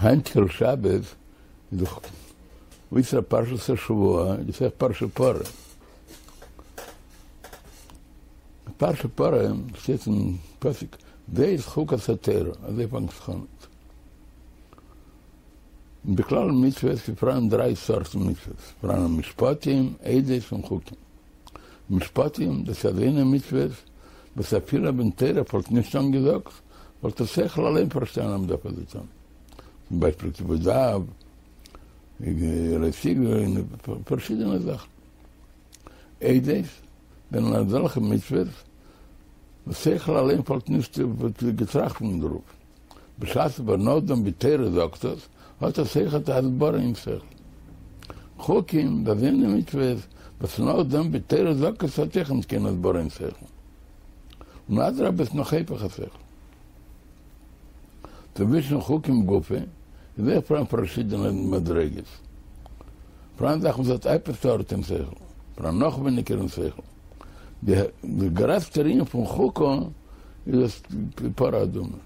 היינטיגער שבת איז דאך אויסער פרשת השבוע איז אויך פרשת פרה. פרשת פרה שטייט אין פסוק זאת חוקת התורה, אזוי פאנגט זיך אן. בכלל מצוות איז פאראן דריי סארטן מצוות, פאראן משפטים, עדות און חוקים. משפטים, דאס איז אזוינע מצוות וואס אפילו ווען תורה וואלט נישט אנגעזאגט, וואלט דער שכל אליין פארשטאנען אז מ'דארף אזוי טון. צום ביישפיל כיבוד אב, לא תגנוב, און פארשידענע זאכן. עדות זענען אזעלכע מצוות וואס שכל אליין וואלט נישט געטראכט פון דערויף. בשעת אבער נאכדעם ווי תורה זאגט עס, האט עס אויכעט א הסברה אין שכל. חוקים, דאס זענען מצוות וואס נאכדעם ווי תורה זאגט עס האט אויך נישט קיין הסברה אין שכל. און אדרבה עס נאך היפך השכל. צווישן חוקים גופא איז אויך פאראן פארשידענע מדריגות. פאראן זאכן וואס האט עפעס ארט אין שכל, פאראן נאך ווייניגער אין שכל. די גרעסטע ענין פון חוקה איז דאס פרה אדומה.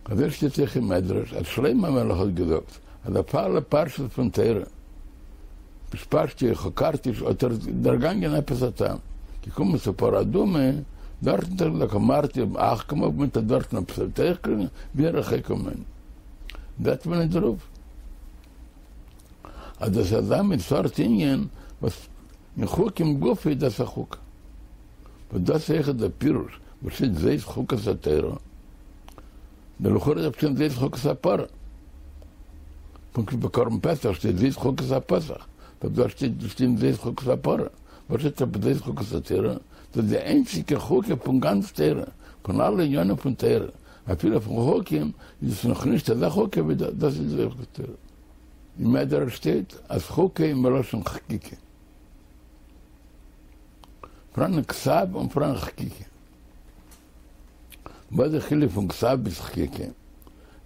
אזוי שטייט אויך אין מדרש אז שלמה המלך האט געזאגט אז אויף אלע פרשות פון תורה פשפשתי חקרתי האט ער דערגאנגען עפעס א טעם, געקומען צו פרה אדומה דארטן האט ער געזאגט אמרתי אחכמה מיינט אז דארטן עפעס וועט אויך קריגן והיא רחוקה ממני זעט מען אין דערויף אז דאס איז אזא מין סארט ענין וואס אין חוקים גופא איז דאס א חוקה. וואס דאס איז אויכעט דער פירוש וואס שטייט זאת חוקת התורה, דלכאורה דארף שטיין זאת חוקת הפרה. פונקט ווי ביי קרבן פסח שטייט זאת חוקת הפסח, דארף דא שטיין זאת חוקת הפרה. וואס שטייט אבער זאת חוקת התורה? דאס איז די איינציגע חוקה פון גאנץ תורה, פון אלע עניינים פון תורה, אפילו פון חוקים, איז עס נאכנישט אזא חוקה ווי דאס, דאס איז זאת חוקת התורה. אין מדרש שטייט אז חוקה איז מלשון חקיקה. פאראן כתב און פאראן חקיקה. וואס איז די חילוק פון כתב ביז חקיקה?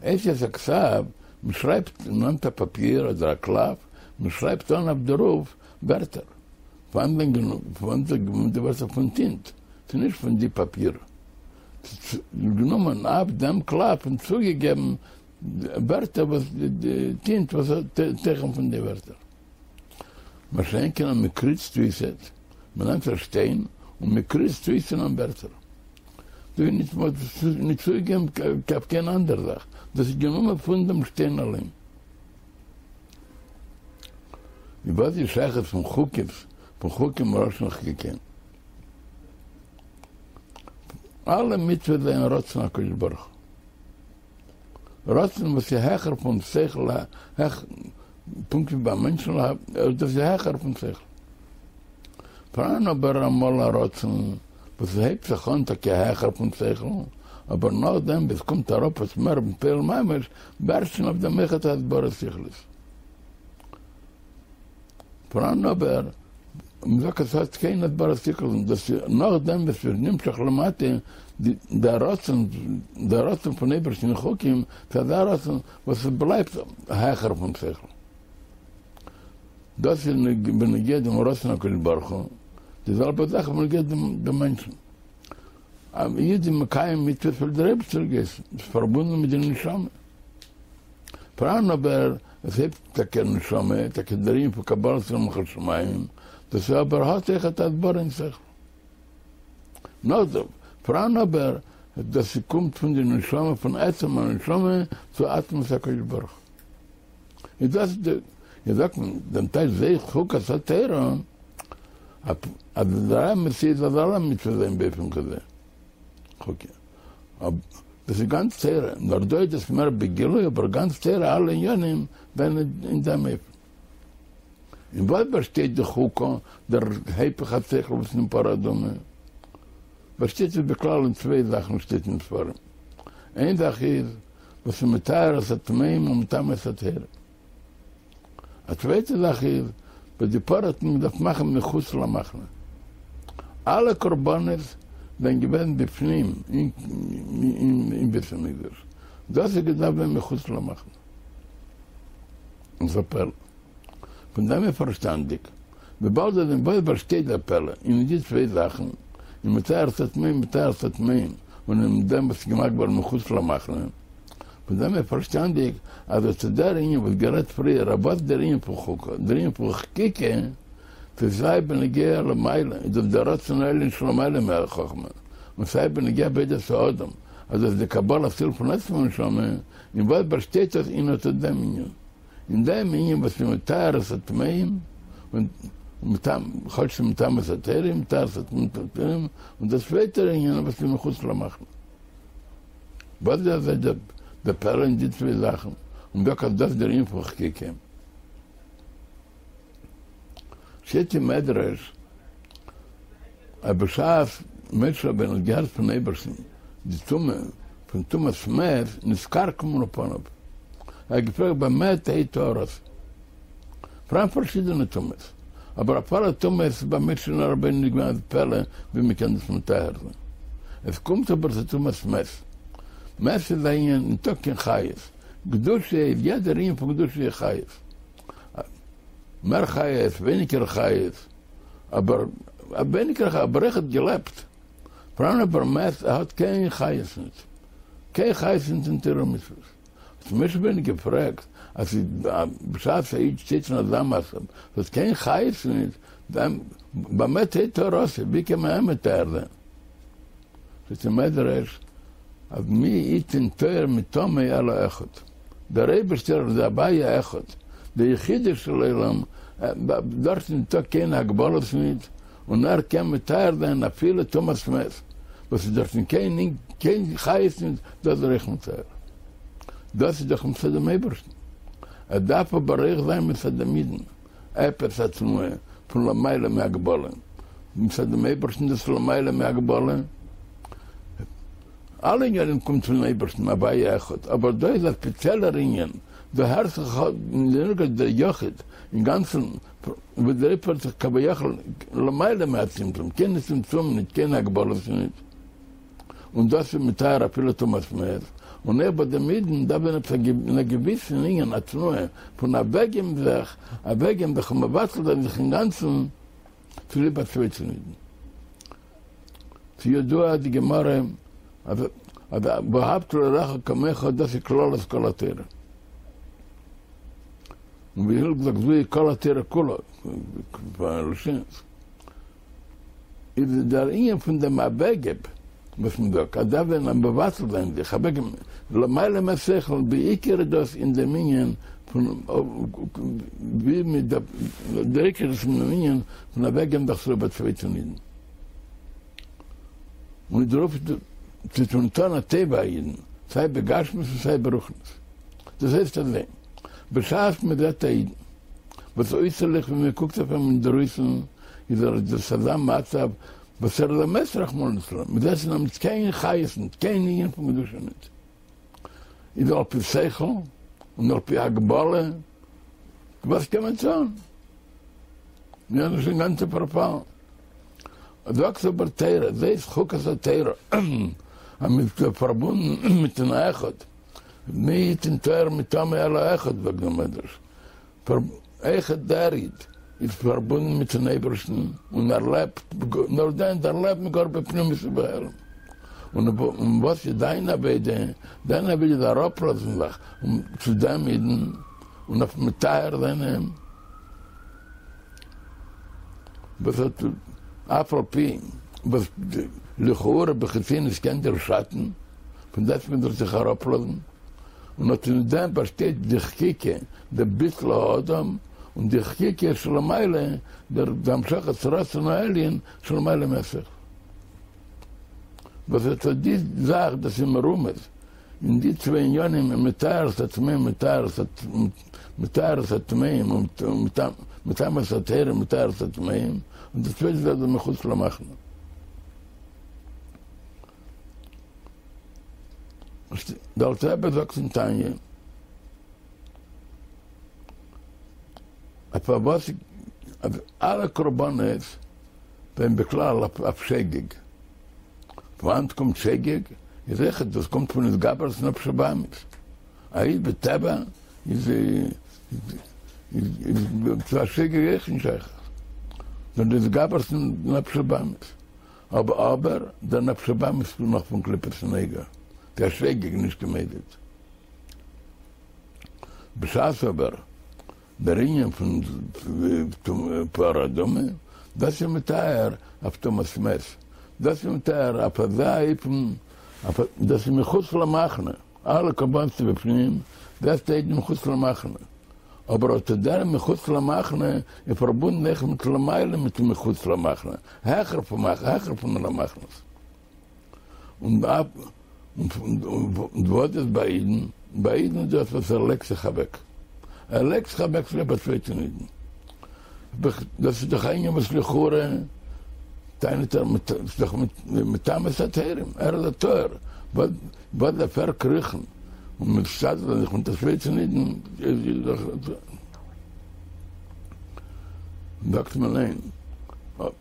אותיות הכתב, מען שרייבט, מען נעמט א פאפיר אדער א קלף, מען שרייבט אן אויף דערויף ווערטער. פון וואנעט גענומען די ווערטער? פון טינט, ס'איז נישט פון די פאפיר. ס'איז גענומען אויף דעם קלף און צוגעגעבן ווערטער וואס די טינט וואס האט תוכן פון די ווערטער. מה שאין כן אז מען קריצט אויסעט, מען נעמט א שטיין און מען קריצט אויס אין אים ווערטער. דא איז נישט מ'האט נישט צוגעגעבן אויף קיין אנדערע זאך, דאס איז גענומען פון דעם שטיין אליין. און וואס איז שייכות פון חוקות, פון חוקים מלשון חקיקה? אלע מצוות זענען רצון הקדוש ברוך הוא. רצון וואס איז העכער פון שכל, פונקט ווי ביי מענטשן, דאס איז העכער פון שכל. פאראן אבער אמאל א רצון וואס הייבט זיך אן טאקע העכער פון שכל, אבער נאכדעם ווי עס קומט אראפ עס מער בפועל ממש, ווערט שוין אויף דעם אויכעט א הסברה שכלית. פאראן אבער, מ'זאגט אז ס'האט קיין הסברה שכלית, און דאס איז נאכדעם וואס ס'ווערט נמשך למטה דער רצון, דער רצון פון אייבערשטן אין חוקים, ס'איז אזא רצון וואס עס בלייבט העכער פון שכל. דאס איז בנוגע דעם רצון הקדוש ברוך הוא, די זעלבע זאך בנוגע דעם מענטשן. א איד איז מקיים מצוות ווייל דער אייבערשטער האט געהייסן, ס'איז פארבונדן מיט די נשמה. פאראן אבער עס הייבט טאקע נשמה, טאקע דער ענין פון קבלת עול מלכות שמים, דאס איז אבער האט אויכעט א הסברה אין שכל. נאכדעם, פאראן אבער דאס קומט פון די נשמה פון עצם הנשמה צו עצמות הקדוש ברוך הוא. איז דאס די, איז זאגט מען דעם טייטש זאת חוקת התורה, אז דער אמת איז אז אלע מצוות זענען באופן כזה. חוקה. דאס איז גאנץ תורה, נאר דא איז עס מער בגילוי, אבער גאנץ תורה אלע עניינים זענען אין דעם אופן. אין וואס באשטייט די חוקה, דער היפך השכל וואס אין פרה אדומה? באשטייט עס בכלל אין צוויי זאכן שטייט אין ספרים. איין זאך איז וואס איז מטהר את הטמאים ומטמא את הטהורים. א צווייטע זאך איז וואס די פרה האט מען געדארפט מאכן מחוץ למחנה. אלע קרבנות זענען געווען בפנים אין בית המקדש, דאס איז געדארפט זיין מחוץ למחנה. און ס'איז א פלא. פון דעם איז פארשטאנדיג, וויבאלד אז אין וואס באשטייט דער פלא, אין די צוויי זאכן, אין מטהר את הטמאים מטהר את הטמאים, און אין דעם וואס איז געמאכט געווארן מחוץ למחנה. פון דעם איז פארשטאנדיג אז אט דער ענין וואס גערעדט פריער אז וואס דער ענין פון חוקה, דער ענין פון חקיקה, ס'איז סיי בנוגע למעלה, איז דאס דער רצון העליון שלמעלה מהחכמה, און סיי בנוגע עבודת האדם, אז דאס איז די קבלת עול פון עצם הנשמה, אין וואס באשטייט דאס אין אט דעם ענין? אין דעם ענין וואס איז מטהר את הטמאים, און כאטש ס'איז מטמא את הטהורים, מטהר את הטמאים, און דער צווייטער ענין וואס איז מחוץ למחנה. וואס איז אזוי דער פלא אין די צוויי זאכן, און דוקא אז דאס איז דער ענין פון חקיקה. שטייט אין מדרש אז בשעת משה רבינו האט געהערט פון אייבערשטן די טומאה פון טומאת מת נתכרכמו פניו, ער האט געפרעגט במה תהא טהרתי, פאראן פארשידענע טומאות, אבער אויף אלע טומאות איז ביי משה רבינו נישט געווען אזא פלא ווי מען קען דאס מטהר זיין, עס קומט אבער צו טומאת מת, מת איז א ענין ניטא קיין חיות, קדושה איז יעדער ענין פון קדושה איז חיות. מער חיות, ווייניגער חיות, אבער ווייניגער חיות, אבער ער האט געלעבט. פאראן אבער מת, ער האט קיין חיות ניט. קיין חיות ניט אין תורה ומצוות. האט משה רבינו געפרעגט, אז בשעת א איד שטייט אין אזא מצב, האט קיין חיות ניט, במה תהא טהרתו, ווי קען מען אים מטהר זיין? זאגט דער מדרש אז מי יתן טהור מטמא אלא אחד, דער אייבערשטער איז הוויה אחד, דער יחידו של עולם, דארט איז ניטא קיין הגבלות ניט, און ער קען מטהר זיין אפילו טומאת מת, וואס איז דארטן קיין קיין חיות ניט, דאס איז ער אויך מטהר. דאס איז דאך מצד דעם אייבערשטן. עס דארף אבער אויך זיין מצד דעם אידן. עפעס א תנועה פון למעלה מהגבלה, מצד דעם אייבערשטן דאס למעלה מהגבלה, אלע עניינים קומט פון אייבערשטן הוויה אחד, אבער דא איז א ספעציעלער ענין, דא הערט זיך דער יחיד אינגאנצן וואס דער אייבערשטער זיך כביכול למעלה מהצמצום, קיין צמצום ניט, קיין הגבלות ניט. און דאס איז מטהר אפילו טומאת מת, און אויך ביי דעם אידן דארף זיין עפעס אין א געוויסן ענין א תנועה פון אוועקגעבן זיך, אוועקגעבן זיך און מבטל זיין זיך אינגאנצן צוליב א צווייטן אידן. ס'ידוע די גמרא אז ואהבת לרעך כמוך דאס איז כללות כל התורה. און ווי הלל זאגט זוהי כל התורה כולה, איז דער ענין פון דעם אוועקגעב וואס מען זאגט אז דארף זיין א מבטל זיין זיך אוועקגעבן למעלה מהשכל, בעיקר איז דאס אין דעם ענין פון ווי מען דארף, דער עיקר איז אין דעם ענין פון אוועקגעבן זיך צוליב א צווייטן אידן, און דערויף צו טון טון א טובה א אידן, סיי בגשמיות און סיי ברוחניות. דאס הייסט אזוי, בשעת מען זעט א אידן וואס אויסערליך ווען מען קוקט אויף אים אינדערויסן איז ער דאס אזא מצב וואס ער איז א מת רחמנא ליצלן, מען זעט אין אים נישט קיין חיות נישט, קיין ענין פון קדושה נישט, איז על פי שכל און על פי הגבלה וואס קען מען טון? מיר זענען שוין אינגאנצן פארפאלן. זאגט אבער תורה, זאת חוקת התורה, אז מען איז פארבונדן מיטן אחד, מי יתן טהור מטמא אלא אחד זאגט דער מדרש, אויכעט דער איד איז פארבונדן מיטן אייבערשטן און ער לעבט, נאר דען ער לעבט גאר בפנימיות ובהעלם. און וואס איז דיין עבודה? דיין עבודה איז אראפלאזן זיך צו דעם אידן און אויף מטהר זיין אים, וואס האט אף על פי וואס לכאורה בחיצוניות קען דיר שאטן, פון דעסטוועגן זאלסט זיך אראפלאזן. און אט אין דעם באשטייט די חקיקה, דער ביטול האדם, און די חקיקה שלמעלה, דער המשכת רצון העליון שלמעלה מהשכל. וואס אט אט די זאך, דאס איז מרומז אין די צוויי עניינים אין מטהר את הטמאים מטהר את מטהר את הטמאים און מטמא את הטהורים מטהר את הטמאים, און די צווייטע זאך איז מחוץ למחנה. דער אלטער רבי זאגט אין תניא אז פארוואס אז אלע קרבנות זענען בכלל אויף שוגג, פון וואנעט קומט שוגג? איז אויכעט דאס קומט פון התגברות נפש הבהמית, א איד בטבע איז צו א שוגג אויך נישט שייך, נאר די התגברות נפש הבהמית. אבער אבער דער נפש הבהמית איז נאך פון קליפת נוגה, ס'איז א שוגג נישט קיין מזיד. בשעת אבער דער ענין פון פרה אדומה, דאס איז מטהר אויף טומאת מת, דאס איז מטהר אויף אזא אופן, דאס איז מחוץ למחנה, אלע קרבנות איז בפנים, דאס שטייט מחוץ למחנה, אבער אט דער מחוץ למחנה איז פארבונדן אויך מיט למעלה מיט מחוץ למחנה, העכער פון העכער פון אלע מחנות. און וואס איז ביי אידן? ביי אידן איז דאס וואס ער לייגט זיך אוועק. ער לייגט זיך אוועק צוליב א צווייטן אידן. דאס איז דאך א ענין וואס לכאורה טענה'ט ער ס'איז דאך מטמא את הטהורים, ער איז א טהור, וואס דארף ער קריכן און משתדל זיין זיך מיט א צווייטן אידן? זאגט מען ניין,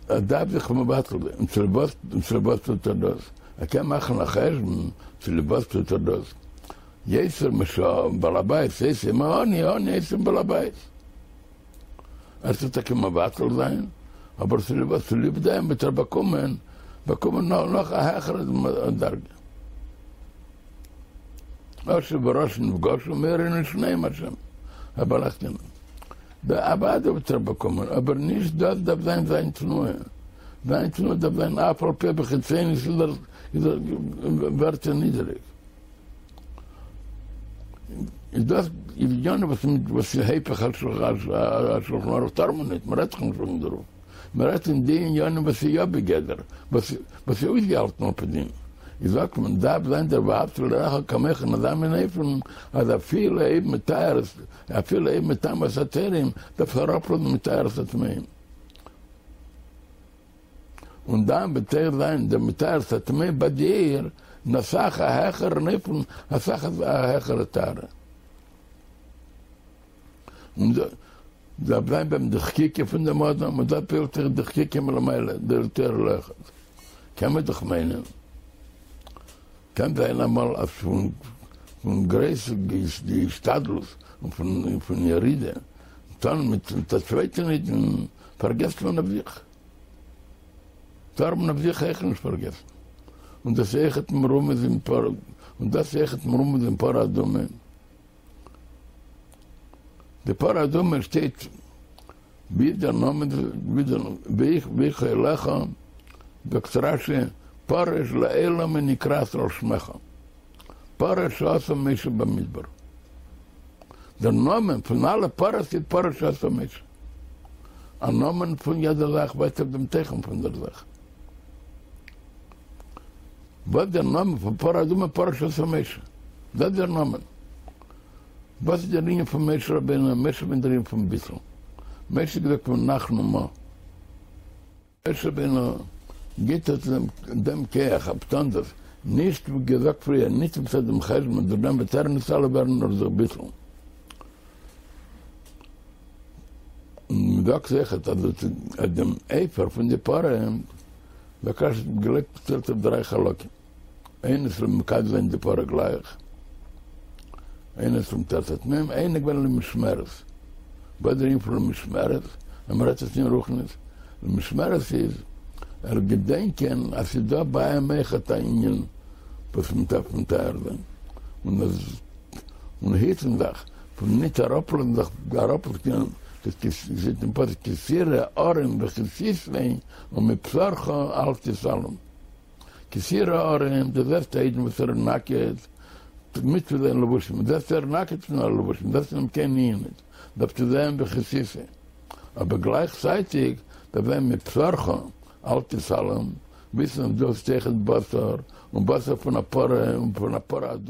ער דארף זיך מבטל זיין, און צוליב וואס און צוליב וואס טוט ער דאס? ער קען מאכן א חשבון צוליב וואס טוט ער דאס, יותר משבעל הבית עושה עם העני, העני עושה עם בעל הבית. ער טוט טאקע מבטל זיין, אבער צוליב וואס? צוליב דעם וועט ער באקומען באקומען נאך א העכערע דרגה. עשיר ורשע נפגשו מאירין לשניהם השם הבלחתנו. אוודאי וועט ער באקומען, אבער נישט דאס דארף זיין זיין תנועה. זיין תנועה דארף זיין אף על פי בחיצוניות איז ער ווערט ער נידעריג. איז דאס איז ענינים וואס וואס איז היפך השולחן ערוך טאר מען נישט, מען רעדט דאך נישט וועגן דערויף, מען רעדט אין די ענינים וואס איז יא בגדר, וואס וואס איז אויסגעהאלטן על פי דין, איז זאגט מען דארף זיין דער ואהבת לרעך כמוך אין אזא מין אופן אז אפילו אויב מטהר אפילו אויב מטמא את הטהורים דארף ער אראפלאזן מטהר את הטמאים. און דאן וועט ער זיין דער מטהר את הטמאים ביי דיר אין אסאך א העכערן אופן, אסאך א העכערע טהרה. און דארף זיין ביי אים די חקיקה פון דעם אדם, און דא פעלט זיך די חקיקה מלמעלה, דער תורה לאחד. קען מען דאך מיינען, קען זיין אמאל אז פון גרויס די השתדלות און פון ירידה טון מיט א צווייטן אידן פארגעסט מען אויף זיך. טאר מען אויף זיך אויך נישט פארגעסן. און דאס איז אויכעט מרומז אין פרה, און דאס איז אויכעט מרומז אין פרה אדומה. די פרה אדומה שטייט ווי דער נאמען ווי דער ויהי אהלך, זאגט רש"י, פרה שלעולם היא נקראת על שמך, פרה שעשה משה במדבר. דער נאמען פון אלע פרות איז פרה שעשה משה. א נאמען פון יעדע זאך ווייזט אויף דעם תוכן פון דער זאך. וואס דער נאמען פון פרה אדומה פרה שעשה משה. דאס איז דער נאמען. וואס איז דער ענין פון משה רבינו? משה רבינו איז דער ענין פון ביטול. משה האט געזאגט ונחנו מה. משה רבינו גיט אונז דעם כח אויף טון דאס, נישט ווי געזאגט פריער, נישט מצד דעם חשבון דורך דעם וועט ער נתעלה ווערן נאר דורך ביטול. און מען זאגט אויכעט אז דעם אפר פון די פרה זאגט רש"י האט געלייגט צוטיילט אויף דריי חלקים, איינס למקדש זיין די פרה גלייך, איינס למטהר את הטמאים, איינע געווען למשמרת. וואס דער ענין פון למשמרת, ווען מ'רעדט עס אין רוחניות, למשמרת איז, ער געדענקען אז ס'איז דא ביי אים אויכעט א ענין וואס מ'דארף מטהר זיין, און אז און היטן זיך פון ניט אראפלאזן זיך אראפלאזן שטייט אין פסוק כי תראה ערום וכסיתו ומבשרך אל תתעלם. כי תראה ערום, דו זעסט א אידן וואס ער איז נאקעט, מצוה זיין לבושים, זעסט ער איז נאקעט פון אלע לבושים, זעסט אין אים קיין ענין ניט, דארפסטו זען וכסיתו. אבער גלייכצייטיג דארף זיין מבשרך אל תתעלם, וויסן אז דו האסט אויכעט בשר, און בשר פון א פרה, און פון א פרה אדומה.